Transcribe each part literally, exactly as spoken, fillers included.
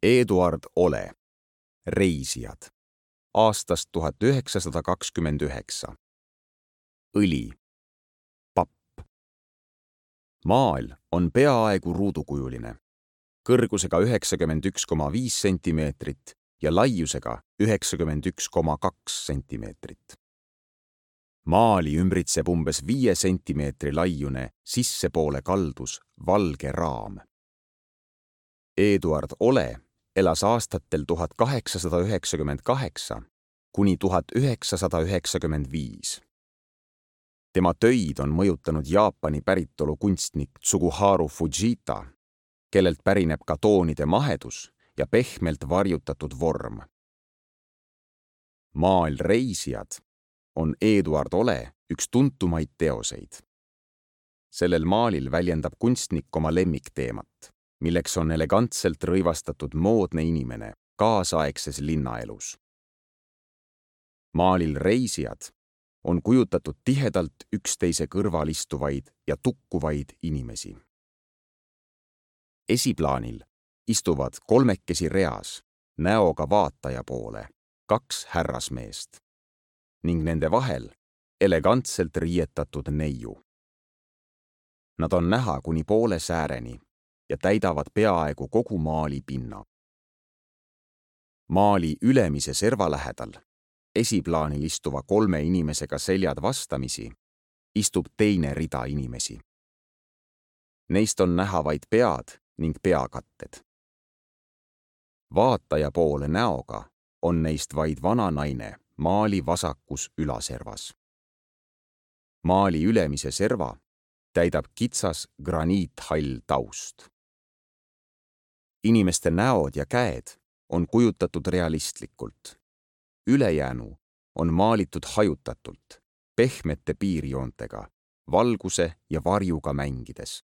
Eduard Ole, Reisijad, aastast tuhat üheksasada kakskümmend üheksa. Õli, papp. Maal on peaaegu ruudukujuline, kõrgusega üheksakümmend üks koma viis sentimeetrit ja laiusega üheksakümmend üks koma kaks sentimeetrit. Maali ümbritseb umbes viie sentimeetri laiune sissepoole kaldus valge raam. Eduard Ole elas aastatel tuhat kaheksasada üheksakümmend kaheksa kuni tuhat üheksasada üheksakümmend viis. Tema töid on mõjutanud Jaapani päritolu kunstnik Tsuguharu Fujita, kellelt pärineb ka toonide mahedus ja pehmelt varjutatud vorm. Maal Reisijad on Eduard Ole üks tuntumaid teoseid. Sellel maalil väljendab kunstnik oma lemmikteemat, milleks on elegantselt rõivastatud moodne inimene kaasaegses linnaelus. Maalil Reisijad on kujutatud tihedalt üksteise kõrval istuvaid ja tukkuvaid inimesi. Esiplaanil istuvad kolmekesi reas näoga vaataja poole kaks härrasmeest ning nende vahel elegantselt riietatud neiu. Nad on näha kuni poole sääreni ja täidavad peaaegu kogu maali pinna. Maali ülemise serva lähedal, esiplaanil istuva kolme inimesega seljad vastamisi, istub teine rida inimesi. Neist on näha vaid pead ning peakatted. Vaataja poole näoga on neist vaid vana naine maali vasakus ülaservas. Maali ülemise serva täidab kitsas graniithall taust. Inimeste näod ja käed on kujutatud realistlikult. Ülejäänu on maalitud hajutatult, pehmete piirjoontega, valguse ja varjuga mängides.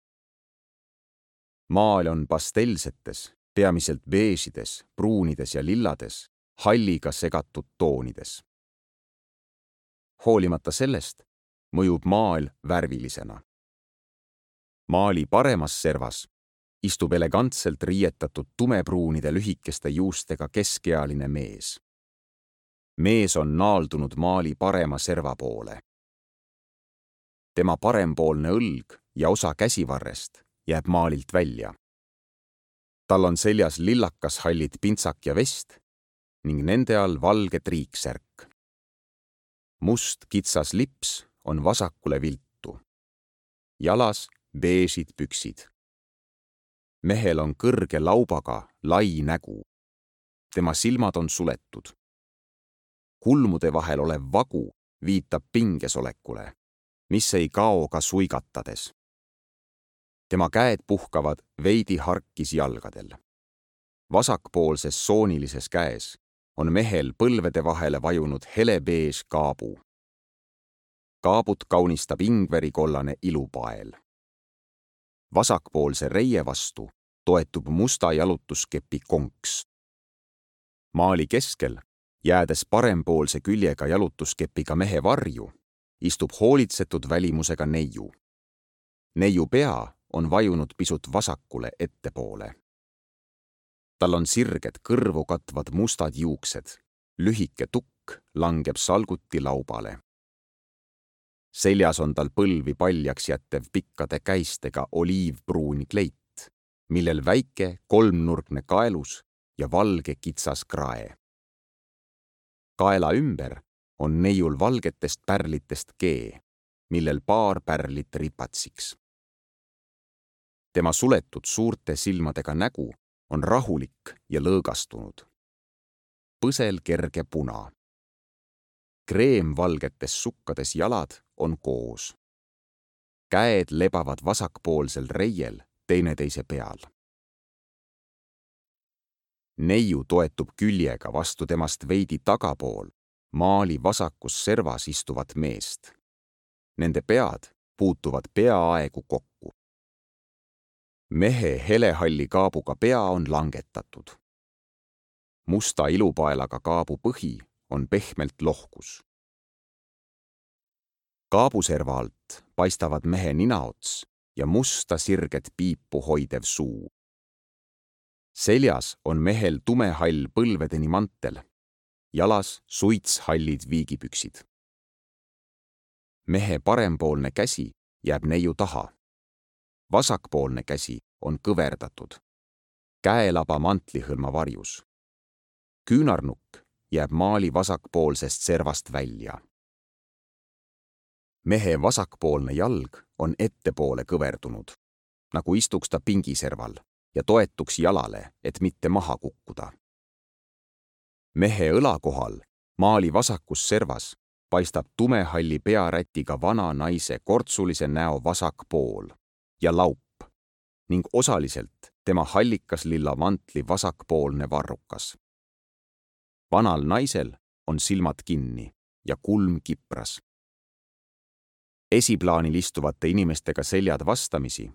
Maal on pastelsetes, peamiselt beežides, pruunides ja lillades, halliga segatud toonides. Hoolimata sellest mõjub maal värvilisena. Maali paremas servas istub elegantselt riietatud tumepruunide lühikeste juustega keskealine mees. Mees on naaldunud maali parema serva poole. Tema parempoolne õlg ja osa käsivarrest jääb maalilt välja. Tal on seljas lillakas hallit pintsak ja vest ning nende all valge triiksärk. Must kitsas lips on vasakule viltu. Jalas beežid püksid. Mehel on kõrge laubaga lai nägu. Tema silmad on suletud. Kulmude vahel olev vagu viitab pingesolekule, mis ei kao ka suigatades. Tema käed puhkavad veidi harkis jalgadel. Vasakpoolses soonilises käes on mehel põlvede vahele vajunud helebeež kaabu. Kaabut kaunistab ingverikollane ilupael. Vasakpoolse reie vastu toetub musta jalutuskepi konks. Maali keskel, jäädes parempoolse küljega jalutuskepiga mehe varju, istub hoolitsetud välimusega neiu. Neiu pea on vajunud pisut vasakule ettepoole. Tal on sirged kõrvu katvad mustad juuksed, lühike tukk langeb salguti laubale. Seljas on tal põlvi paljaks jättev pikkade käistega oliivpruuni kleit, millel väike kolmnurgne kaelus ja valge kitsas krae. Kaela ümber on neiul valgetest pärlitest kee, millel paar pärlit ripatsiks. Tema suletud suurte silmadega nägu on rahulik ja lõõgastunud. Põsel kerge puna. Kreemvalgetes sukkades jalad on koos. Käed lebavad vasakpoolsel reiel teineteise peal. Neiu toetub küljega vastu temast veidi tagapool maali vasakus servas istuvat meest. Nende pead puutuvad peaaegu kokku. Mehe helehalli kaabuga pea on langetatud. Musta ilupaelaga kaabu põhi on pehmelt lohkus. Kaabuserva alt paistavad mehe ninaots ja musta sirget piipu hoidev suu. seljas on mehel tumehall põlvedeni mantel, jalas suitshallid viigipüksid. Mehe parempoolne käsi jääb neiu taha. Vasakpoolne käsi on kõverdatud. Käelaba mantlihõlma varjus. Küünarnukk jääb maali vasakpoolsest servast välja. Mehe vasakpoolne jalg on ettepoole kõverdunud, nagu istuks ta pingiserval ja toetuks jalale, et mitte maha kukkuda. Mehe õla kohal, maali vasakus servas, paistab tumehalli pearätiga vana naise kortsulise näo vasak pool ja laup ning osaliselt tema hallikas lilla mantli vasakpoolne varrukas. Vanal naisel on silmad kinni ja kulm kipras. Esiplaanil istuvate inimestega seljad vastamisi,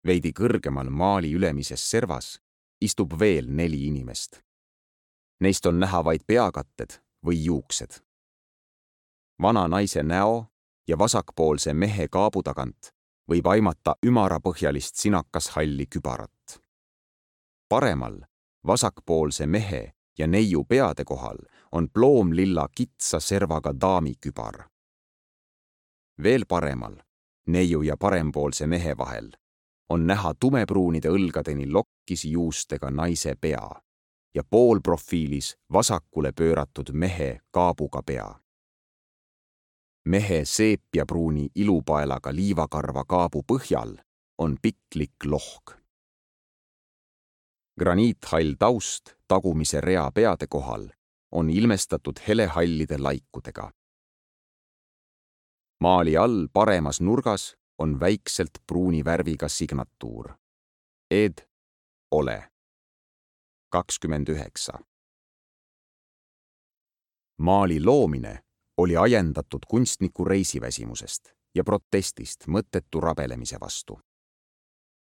veidi kõrgemal maali ülemises servas, istub veel neli inimest. Neist on näha vaid peakatted või juuksed. Vana naise näo ja vasakpoolse mehe kaabu tagant võib aimata ümarapõhjalist sinakashalli kübarat. Paremal, vasakpoolse mehe ja neiu peade kohal on ploomlilla kitsa servaga daami kübar. Veel paremal, neiu ja parempoolse mehe vahel, on näha tumepruunide õlgadeni lokkisi juustega naise pea ja poolprofiilis vasakule pööratud mehe kaabuga pea. Mehe seepiapruuni ilupaelaga liivakarva kaabu põhjal on piklik lohk. Graniithall taust tagumise rea peade kohal on ilmestatud helehallide laikudega. Maali all paremas nurgas on väikselt pruuni värviga signatuur. Ed ole. kakskümmend üheksa. Maali loomine oli ajendatud kunstniku reisiväsimusest ja protestist mõttetu rabelemise vastu.